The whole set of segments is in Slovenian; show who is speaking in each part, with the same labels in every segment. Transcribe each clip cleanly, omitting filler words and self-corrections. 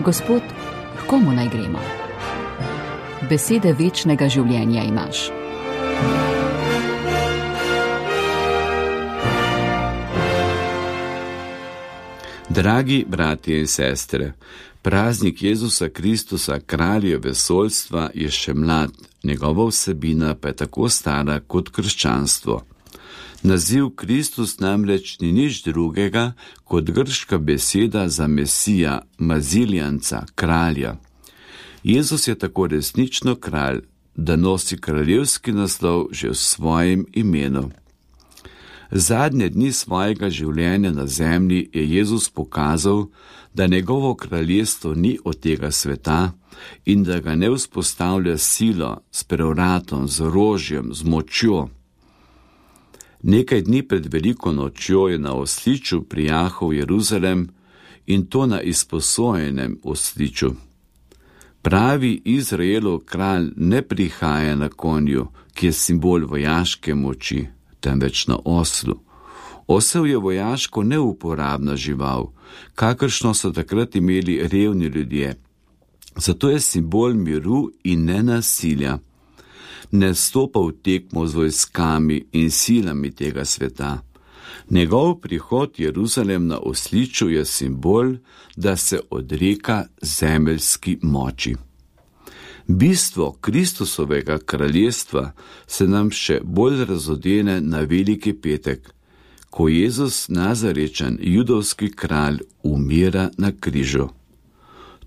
Speaker 1: Gospod, k komu naj gremo? Besede večnega življenja imaš.
Speaker 2: Dragi bratje in sestre, praznik Jezusa Kristusa, kralja vesoljstva, je še mlad, njegova vsebina pa je tako stara kot krščanstvo. Naziv Kristus namreč ni nič drugega kot grška beseda za Mesija, maziljanca, kralja. Jezus je tako resnično kralj, da nosi kraljevski naslov že v svojem imenu. Zadnje dni svojega življenja na zemlji je Jezus pokazal, da njegovo kraljestvo ni od tega sveta in da ga ne vzpostavlja silo, s prevratom, z orožjem, z močjo. Nekaj dni pred veliko nočjo je na osliču prijahal Jeruzalem, in to na izposojenem osliču. Pravi Izraelov kralj ne prihaja na konju, ki je simbol vojaške moči, temveč na oslu. Osel je vojaško neuporabna žival, kakršno so takrat imeli revni ljudje. Zato je simbol miru in nenasilja. Ne stopa v tekmo z vojskami in silami tega sveta. Njegov prihod Jeruzalem na osliču je simbol, da se odreka zemeljski moči. Bistvo Kristusovega kraljestva se nam še bolj razodene na Veliki petek, ko Jezus Nazarečan, judovski kralj, umira na križu.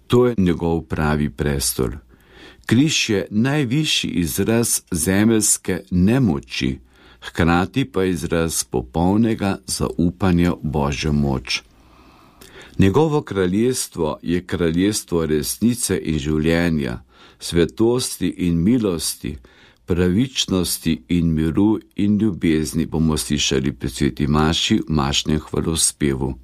Speaker 2: To je njegov pravi prestol. Križ je najvišji izraz zemeljske nemoči, hkrati pa izraz popolnega zaupanja v Božjo moč. Njegovo kraljestvo je kraljestvo resnice in življenja, svetosti in milosti, pravičnosti in miru in ljubezni, bomo slišali pri sveti maši v mašnem hvalospevu.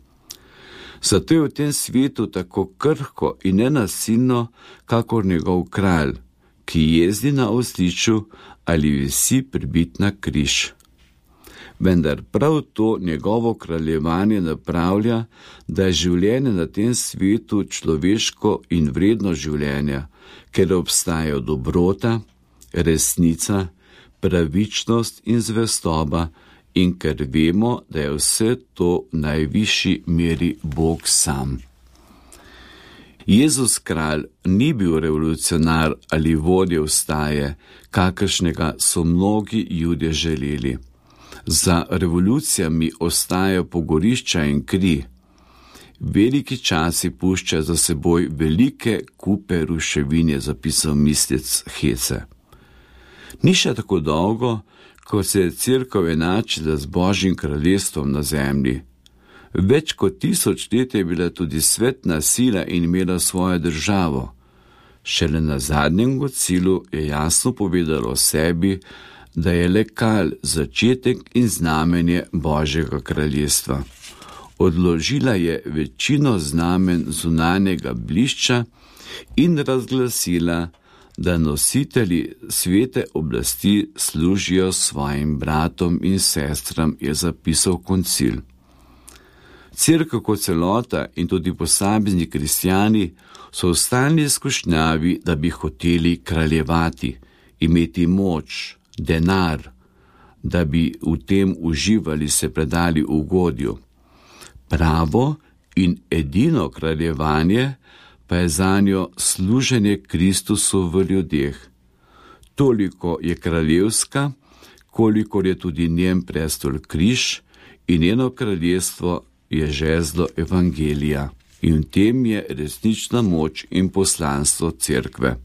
Speaker 2: Zato je v tem svetu tako krhko in nenasilno, kakor njegov kralj, ki jezdi na osliču ali visi pribit na križ. Vendar prav to njegovo kraljevanje napravlja, da je življenje na tem svetu človeško in vredno življenje, ker obstajajo dobrota, resnica, pravičnost in zvestoba, in ker vemo, da je vse to v najvišji meri Bog sam. Jezus kralj ni bil revolucionar ali vodja vstaje, kakršnega so mnogi Judje želeli. Za revolucijami ostajajo pogorišča in kri. Veliki časi pušča za seboj velike kupe ruševin, je zapisal mislec Hece. Ni še tako dolgo, ko se je cerkev enačila z Božjim kraljestvom na zemlji. Več kot 1000 let je bila tudi svetna sila in imela svojo državo. Šele na zadnjem koncilu je jasno povedalo o sebi, da je le kralj začetek in znamenje Božjega kraljestva. Odložila je večino znamen zunanjega blišča in razglasila, da nositelji svete oblasti služijo svojim bratom in sestram, je zapisal koncil. Cerkev kot celota in tudi posamezni kristjani so v stalni izkušnjavi, da bi hoteli kraljevati, imeti moč, denar, da bi v tem uživali, se predali ugodju. Pravo in edino kraljevanje pa je zanjo služenje Kristusu v ljudeh. Toliko je kraljevska, kolikor je tudi njen prestol križ in njeno kraljestvo je žezlo evangelija. In v tem je resnična moč in poslanstvo cerkve.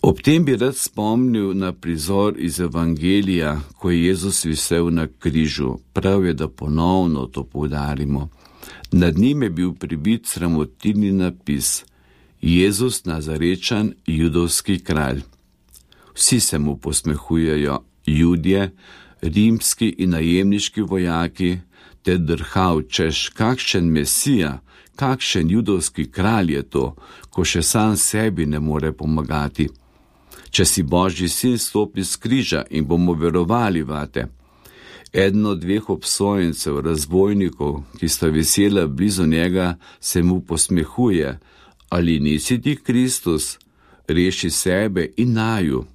Speaker 2: Ob tem bi rad spomnil na prizor iz evangelija, ko je Jezus visel na križu. Prav je, da ponovno to poudarimo. Nad njim je bil pribit sramotilni napis: Jezus Nazarečan, judovski kralj. Vsi se mu posmehujejo, Judje, rimski in najemniški vojaki, te drhal, češ, kakšen Mesija, kakšen judovski kralj je to, ko še sam sebi ne more pomagati. Če si Božji sin, stopi s križa in bomo verovali vate. Eden od 2 obsojencev, razbojnikov, ki sta visela blizu njega, se mu posmehuje: ali nisi ti Kristus? Reši sebe in naju.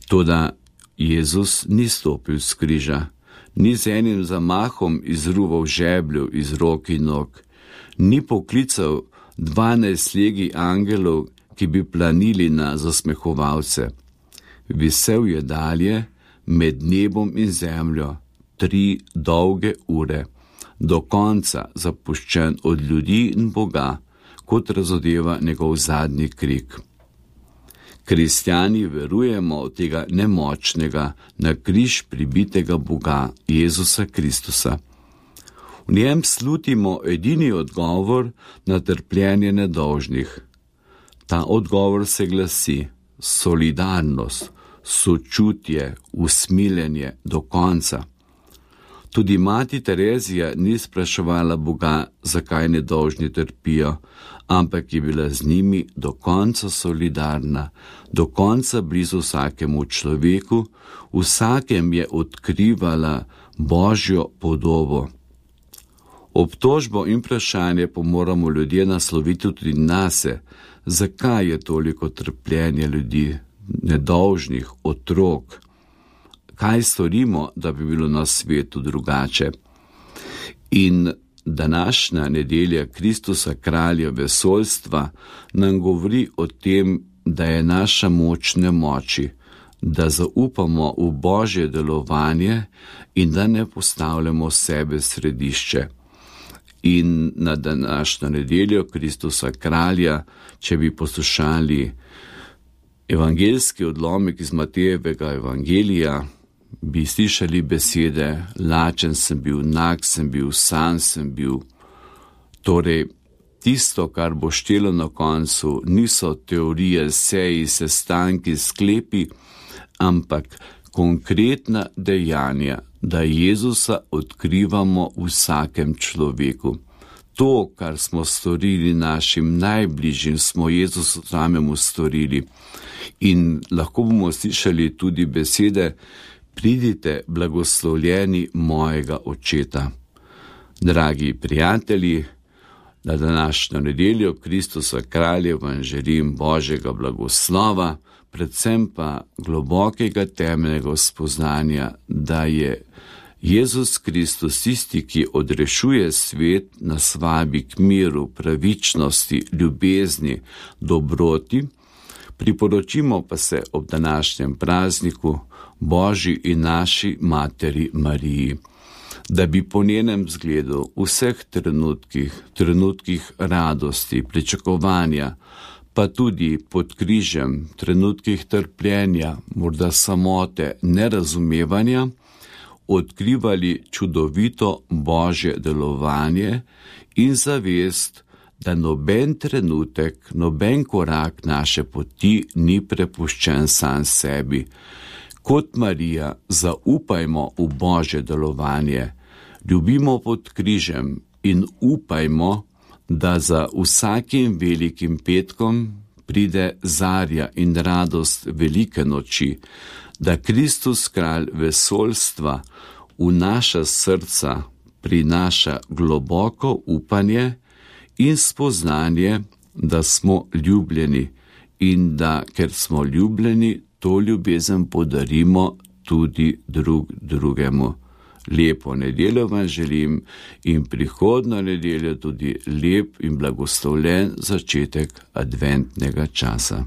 Speaker 2: Toda Jezus ni stopil s križa, ni z enim zamahom izruval žebljev iz rok in nog, ni poklical 12 legij angelov, ki bi planili na zasmehovalce. Visel je dalje med nebom in zemljo 3 dolge ure, do konca zapuščen od ljudi in Boga, kot razodeva njegov zadnji krik. Kristjani verujemo v tega nemočnega, na križ pribitega Boga, Jezusa Kristusa. V njem slutimo edini odgovor na trpljenje nedolžnih. Ta odgovor se glasi: solidarnost, sočutje, usmiljenje do konca. Tudi mati Terezija ni spraševala Boga, zakaj nedolžni trpijo, ampak je bila z njimi do konca solidarna, do konca blizu vsakemu človeku, vsakem je odkrivala Božjo podobo. Obtožbo in vprašanje pa moramo ljudje nasloviti tudi nase, zakaj je toliko trpljenja ljudi, nedolžnih, otrok. Kaj storimo, da bi bilo na svetu drugače? In današnja nedelja Kristusa kralja vesoljstva nam govori o tem, da je naša moč nemoči, da zaupamo v Božje delovanje in da ne postavljamo sebe središče. In na današnjo nedeljo Kristusa kralja, če bi poslušali evangeljski odlomek iz Matejevega evangelija, bi slišali besede: lačen sem bil, nag sem bil, sam sem bil. Torej, tisto, kar bo štelo na koncu, niso teorije, seji, sestanki, sklepi, ampak konkretna dejanja, da Jezusa odkrivamo v vsakem človeku. To, kar smo storili našim najbližjim, smo Jezusu samemu storili. In lahko bomo slišali tudi besede: pridite, blagoslovljeni mojega očeta. Dragi prijatelji, na današnjo nedeljo Kristusa kralja vam želim Božjega blagoslova, predvsem pa globokega temeljnega spoznanja, da je Jezus Kristus tisti, ki odrešuje svet, nas vabi k miru, pravičnosti, ljubezni, dobroti. Priporočimo pa se ob današnjem prazniku Božji in naši materi Mariji, da bi po njenem zgledu v vseh trenutkih radosti, pričakovanja, pa tudi pod križem, trenutkih trpljenja, morda samote, nerazumevanja, odkrivali čudovito Božje delovanje in zavest, da noben trenutek, noben korak naše poti ni prepuščen sam sebi. Kot Marija zaupajmo v Božje delovanje, ljubimo pod križem in upajmo, da za vsakim velikim petkom pride zarja in radost velike noči, da Kristus kralj vesoljstva v naša srca prinaša globoko upanje in spoznanje, da smo ljubljeni in da, ker smo ljubljeni, to ljubezen podarimo tudi drugemu. Lepo nedeljo vam želim in prihodnjo nedeljo tudi lep in blagoslovljen začetek adventnega časa.